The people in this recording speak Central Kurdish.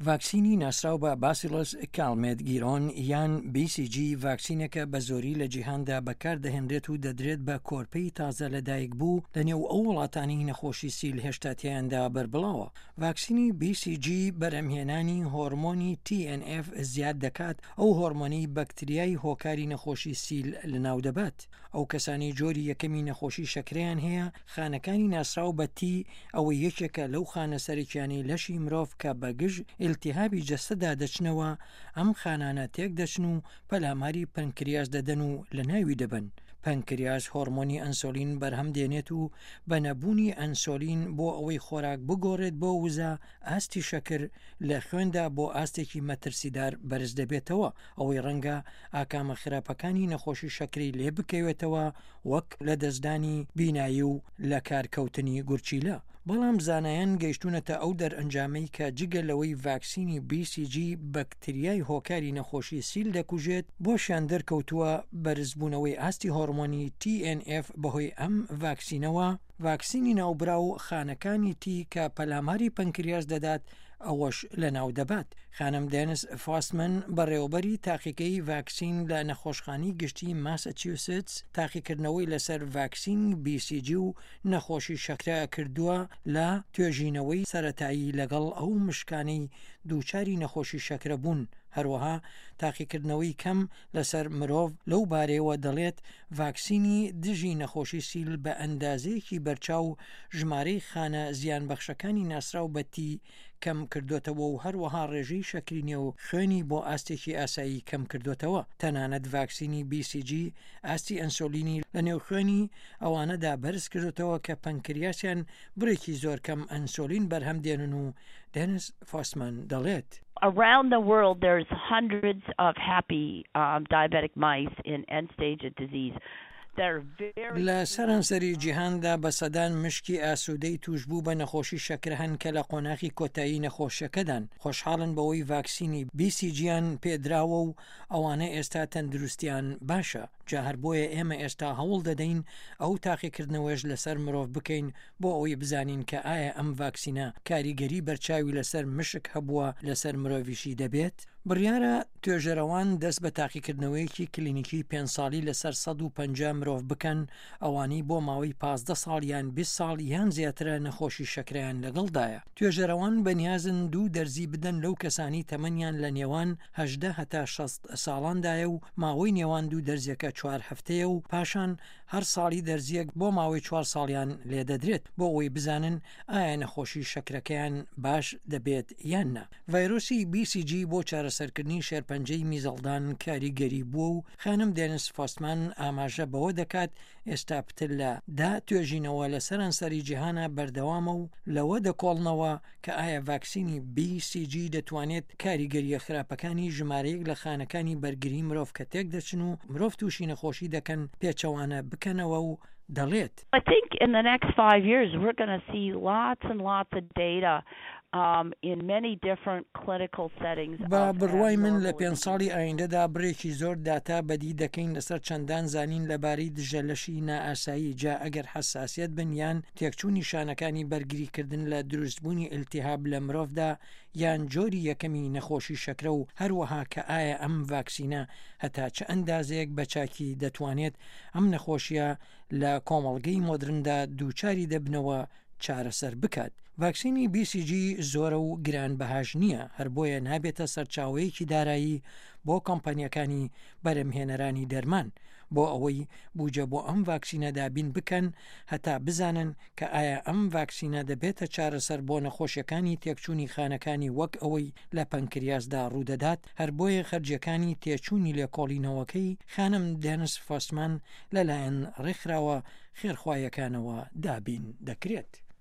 ڤاکسینی ناسراو بە باسیڵس کالمێت گیرۆن یان BCG ڤاکسینێکە بە زۆری لە جیهاندا بەکاردەهێنرێت و دەدرێت بە کۆرپەی تازە لەدایکبوو لەنێو ئەو وڵاتانەی نەخۆشی سیل هێشتا تێیاندا بەربڵاوە. ڤاکسینی BCG بەرهەمهێنانی هۆرمۆنی TNF زیاد دەکات، ئەو هۆرمۆنەی بەکتریای هۆکاری نەخۆشی سیل لەناودەبات. ئەو کەسانەی جۆری یەکەمی نەخۆشی شەکرەیان هەیە، خانەکانی ناسراو بە تی، ئەوەی یەکێکە لەو خانە سەرەکیانەی لەشی مرۆڤ کە بە گژ ئیلتیهابی جەستەدا دەچنەوە، ئەم خانانە تێکدەچن و پەلاماری پەنکریاس دەدەن و لەناوی دەبەن. پەنکریاس هۆرمۆنی ئەنسۆلین بەرهەم دێنێت و بە نەبوونی ئەنسۆلین بۆ ئەوەی خۆراک بگۆڕێت بۆ وزە، ئاستی شەکر لە خوێندا بۆ ئاستێکی مەترسیدار بەرز دەبێتەوە، ئەوەی ڕەنگە ئاکامە خراپەکانی نەخۆشی شەکرەی لێ بکەوێتەوە وەک لەدەستدانی بینایی و لەکارکەوتنی گورچیلە. بەڵام زانایان گەیشتوونەتە ئەو دەرئەنجامەی کە جگە لەوەی ڤاکسینی BCG بەکتریای هۆکاری نەخۆشی سیل دەکوژێت، بۆشیان دەرکەوتووە بەرزبوونەوەی ئاستی هۆرمۆنی TNF بەهۆی ئەم ڤاکسینەوە، ڤاکسینی ناوبراو خانەکانی تی کە پەلاماری پەنکریاس دەدات ئەوەش لەناو دەبات. خانم دێنس فاستمن، بەڕێوەبەری تاقیگەی ڤاکسین لە نەخۆشخانەی گشتی ماسەچیوستس، تاقیکردنەوەی لەسەر ڤاکسینی بی سی جی و نەخۆشی شەکرە کردووە لە توێژینەوەی سەرەتایی لەگەڵ ئەو مشکانەی دووچاری نەخۆشی شەکرە بوون، هەروەها تاقیکردنەوەی کەم لەسەر مرۆڤ لەو بارەیەوە دەڵێت، ڤاکسینی دژی نەخۆشی سیل بە ئەندازەیەکی بەرچاو ژمارەی خانە زیانبەخشەکانی ناسراو بە تی کەم کردۆتەوە و هەروەها ڕێژەی شەکری نێو خوێنی بۆ ئاستێکی ئاسایی کەم کردۆتەوە. تەنانەت ڤاکسینی بی سی جی ئاستی ئەنسۆلینی لە نێو خوێنی ئەوانەدا بەرز کردۆتەوە کە پەنکریاسیان بڕێکی زۆر کەم ئەنسۆلین بەرهەم دێنن و دێنس فۆستمان دەڵێت. Around the world there's hundreds of happy diabetic mice in end stage of disease that are very. لە سەرانسەری جیهاندا بە سەدان مشکی ئاسوودەی تووشبوو بە نەخۆشی شەکرە هەن کە لە قۆناغی کۆتایی نەخۆشیەکەدان، خۆشحاڵن بەوەی ڤاکسینی بی سی جیان پێدراوە و ئەوانە ئێستا تەندروستیان باشە، جا هەر بۆیە ئێمە ئێستا هەوڵ دەدەین ئەو تاقیکردنەوەیەش لەسەر مرۆڤ بکەین بۆ ئەوەی بزانین کە ئایا ئەم ڤاکسینە کاریگەری بەرچاوی لەسەر مشک هەبووە لەسەر مرۆڤیشی دەبێت؟ بڕیارە توێژەرەوان دەست بە تاقیکردنەوەیەکی کلینیکی پێنج ساڵی لەسەر 150 مرۆڤ بکەن ئەوانەی بۆ ماوەی 15 ساڵ یان 20 ساڵ یان زیاترە نەخۆشی شەکرەیان لەگەڵدایە. توێژەرەوان بەنیازن دوو دەرزی بدەن لەو کەسانەی تەمەنیان لە نێوان 18 هەتا 60 ساڵاندایە و ماوەی نێوان دوو دەرزیەکە چوار هەفتەیە و پاشان هەر ساڵی دەرزییەک بۆ ماوەی چوار ساڵیان لێدەدرێت بۆ ئەوەی بزانن ئایا نەخۆشی شەکرەکەیان باش دەبێت یان نا. ڤایرۆسی بی سی جی بۆ چارەسەرکردنی شێرپەنجەی میزەڵدان کاریگەری بووە و خانم دێنس فۆستمان ئاماژە بەوە دەکات ئێستا پتر لە دە توێژینەوە لە سەرانسەری جیهانا بەردەوامە و لەوە دەکۆڵنەوە کە ئایا ڤاکسینی بی سی جی دەتوانێت کاریگەرییە خراپەکانی ژمارەیەک لە خانەکانی بەرگری مرۆڤ کە تێکدەچن و مرۆڤ تووشی نەخۆشی دەکەن پێچەوانە بکەنەوە و دەڵێت. I think in the next five years we're gonna see lots and lots of data in many different clinical settings بە of بڕوای من لە abnormal پێنج immune ساڵی ئایندەدا بڕێکی زۆر داتا بەدی دەکەین لەسەر چەندان زانین لەبارەی دژە لەشی نائاسایی جا ئەگەر حەساسیەت بن یان تێکچوونی شانەکانی بەرگریکردن لە دروستبوونی ئیلتیهاب لە مرۆڤدا یان جۆری یەکەمی نەخۆشی شەکرە و هەروەها کە ئایا ئەم ڤاکسینە هەتا چ ئەندازەیەک بە چاکی دەتوانێت ئەم نەخۆشیە لە کۆمەڵگەی مۆدرندا دووچاری دەبنەوە چارەسەر بکات. ڤاکسینی بی سی جی زۆرە و گران بەهاش نییە، هەر بۆیە نابێتە سەرچاوەیەکی دارایی بۆ کۆمپانیاکانی بەرهەمهێنەرانی دەرمان بۆ ئەوەی بوجە بۆ ئەم ڤاکسینە دابین بکەن هەتا بزانن کە ئایا ئەم ڤاکسینە دەبێتە چارەسەر بۆ نەخۆشیەکانی تێکچوونی خانەکانی وەک ئەوەی لە پەنکریاسدا ڕوودەدات، هەر بۆیە خەرجیەکانی تێچوونی لێکۆڵینەوەکەی خانم دێنس فۆستمان لەلایەن ڕێکخراوە خێرخوایەکانەوە دابین دەکرێت.